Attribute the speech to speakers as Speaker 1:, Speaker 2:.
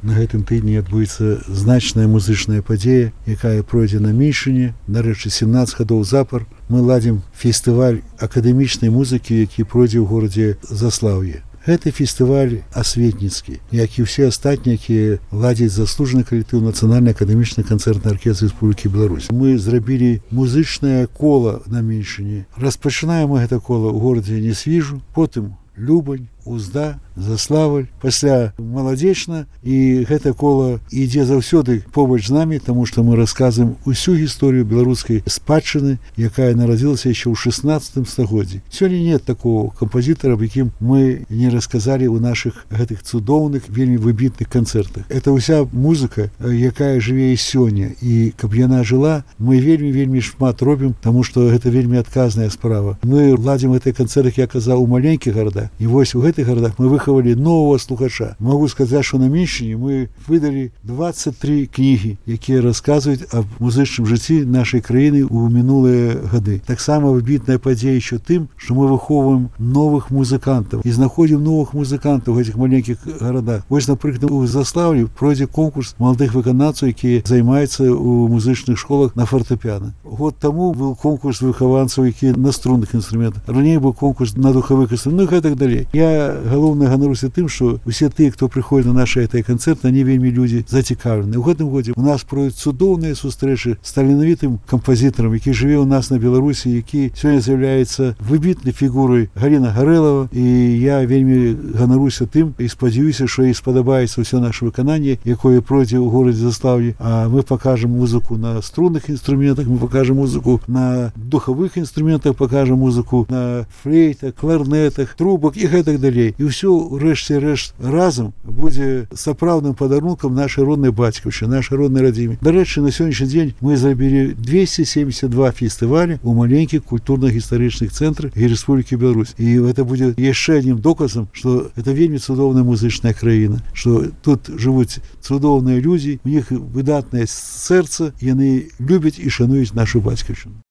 Speaker 1: на гэтым тыдні адбудзецца значная музычная падзея, якая пройдзе на Меньшыне. Нарэшце, 17 гадоў запар мы ладзім фестываль акадэмічнай музыкі, які пройдзе ў горадзе Заслаўе. Гэты фестываль асветніцкі, як і ўсе астатнія, якія ладзяць заслужаны калектыў Нацыянальны акадэмічны канцэртны аркестр Рэспублікі Беларусь. Мы зрабілі музычнае кола на Меньшыне. Распачынаем мы гэта кола ў горадзе Несвіжу, потым Любань, Узда, Заславль, пасля Маладзечна, і гэта кола ідзе заўсёды побач з намі, таму што мы расказваем усю гісторыю беларускай спадчыны, якая нарадзілася яшчэ ў 16 стагоддзі. Сёння нет такого кампазітара, аб якім мы не расказалі ў нашых гэтых цудоўных, вельмі выбітных канцэртах. Это ўся музыка, якая жыве і сёння, і каб яна жыла, мы вельмі шмат робім, таму што гэта вельмі адказная справа. Мы ладзім гэтыя канцэрты, як казаў, у маленькіх гарадах, і вось у гэтых гарадах мы выхавалі нового слухача. Могу сказаць, што на Меньшыне мы выдалі 23 кнігі, якія расказваюць аб музычным жыцці нашай краіны ў мінулыя гады. Таксама выбітная падзея еще тым, што мы выхоўваем новых музыкантаў і знаходзім новых музыкантаў у гэтых маленькіх гарадах. Вось, напрыклад, у Заслаўлі пройдзе конкурс маладых выканаўцаў, якія займаюцца ў музычных школах на фартэпіана. Год таму быў конкурс выхаванцаў, якія на струнных інструментах. Раней быў конкурс на духавых інструментах, і так далей. Я галоўна ганаруся тым, што усе тыя, хто прыходзіць на нашы гэтыя канцэрты, они вельмі людзі зацікаўлены. У гэтым годзе у нас пройдуць цудоўныя сустрэчы з таленавітым кампазітарам, які жыве ў нас на Беларусі, які сёння з'яўляецца выбітнай фігурай Галіна Гарэлава, і я вельмі ганаруся тым і спадзяюся, што ей спадабаецца ўсё наше выкананне, якое пройдзе ў горадзе Заслаўлі. А мы пакажам музыку на струнных інструментах, мы пакажам музыку на духавых інструментах, пакажам музыку на флейтах, кларнетах, трубах і гэтак далей. І ўсё рэшце рэшт разам будзе сапраўдным падарункам нашай роднай бацькаўшчыны, нашай роднай радзіме. Дарэчы, на сённяшні дзень мы зрабілі 272 фестывалі ў маленькіх культурна-гістарычных цэнтрах Рэспублікі Беларусь. І гэта будзе яшчэ адным доказам, што гэта вельмі цудоўная музычная краіна, што тут жывуць цудоўныя людзі, у іх выдатнае сэрца, яны любяць і шануюць нашу бацькаўшчыну.